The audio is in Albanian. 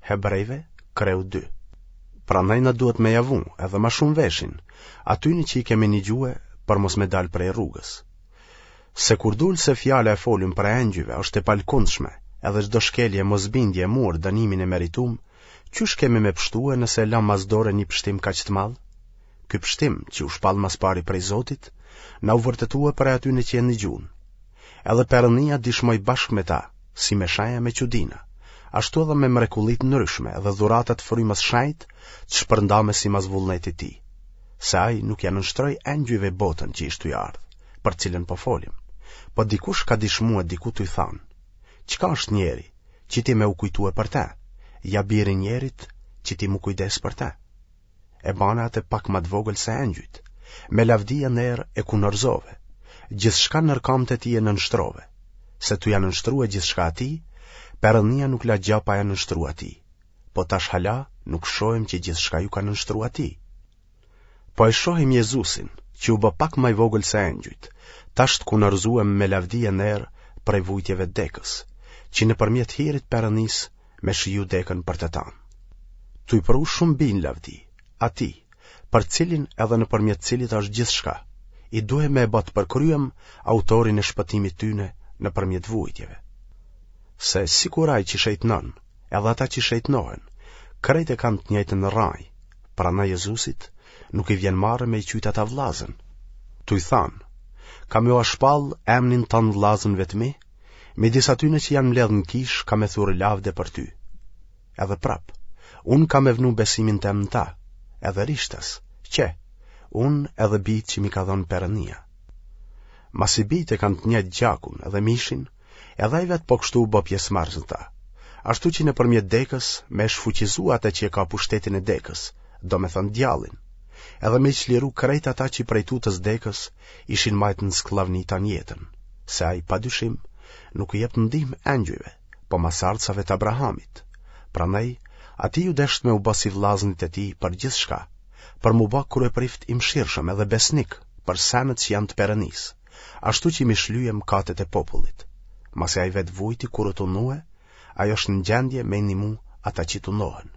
Hebrejve, kreu 2. Prandaj na duhet me ja vu edhe ma shumë veshin, atyne që i kemi nigjue për mos me dalë prej rrugës. Se kur dul se fjala e folun prej engjujve është e palkundshme, edhe çdo shkelje e mosbindje e mur dënimin e meritum, qysh kemi me pshtue nëse e lam mas dore një pështim kaq të madh? Ky pështim, që u shpall mas pari prej Zotit, na u vërtetue prej atyne që e nigjun. Edhe Perënia dishmoi bashkë me ta, si me shenja me çudina, ashtu edhe me mrekulli të ndryshme dhe dhurata të frymës shenjtë të shpërndame simas vullnetit tij, se ai nuk ia nënshtroi engjujve botën që ish tuj ardhë, për cilën po folim. Po dikush ka dishmue diku tuj thanë, çka është njeri, që ti me u kujtue për te, ja biri njerit, që ti m'u kujdes për te. E bane atë pak ma të vogël se engjujt, me lavdi e nder e kunorzove, gjithçka nër kamët e tij e nënshtrove, se tu ja nënshtrue gjithçka atij, Perënia nuk la gja pa ja nënshtru atij, po tash hala nuk shohim që gjithçka ju ka nënshtru atij. Po e shohim Jezusin, që u bë pak ma i vogël se engjujt, tash të kunorzuem me lavdi e nder prej vujtjeve të dekës, që nëpërmjet hirit Perënisë me shiju dekën për të tanë. Tuj pru shumë bij në lavdi, atij, për cilin edhe nëpërmjet cilit është gjithçka, i duhej me e ba të përkryem autorin e shpëtimit tyne nëpërmjet vujtjeve. Se sikur ai që shejtnon, edhe ata që shejtnohen, krejt e kanë të njëjtën rranjë, prandaj Jezusit nuk i vjen marre me i qujt ata vllazën. Tuj thanë, kam me ua shpall emnin tand vllazënve të mi, Midis atyne që janë mbledhë në kishë kam me thurë lavde për ty. Edhe prap, unë kam me vnu besimin tem në ta, edhe rishtas, qe, unë edhe bijtë që m'i ka dhënë Perënia. Masi bijtë e kanë të njëjtë gjakun edhe mishin, edhe ai vetë po kështu u bë pjesëmarrës në ta, ashtu që nëpërmjet dekës me e shfuqizu atë që e ka pushtetin e dekës, domethënë djallin, edhe me i çliru krejt ata që prej tutës dekës ishin majtë në skllavni tanë jetën. se ai pa dyshim nuk u jep ndihmë engjujve, po masardhësave të Abrahamit. Prandaj, atij iu desht me u bë si vëllaznit e tij për gjithçka, për m'u bë kryeprift i mëshirshëm edhe besnik për senet që janë të Perënisë, ashtu që m'i shlyje mëkatet e popullit. Masi ai vetë vujti kur u tundue, ai është në gjendje me i ndihmu ata që tundohen.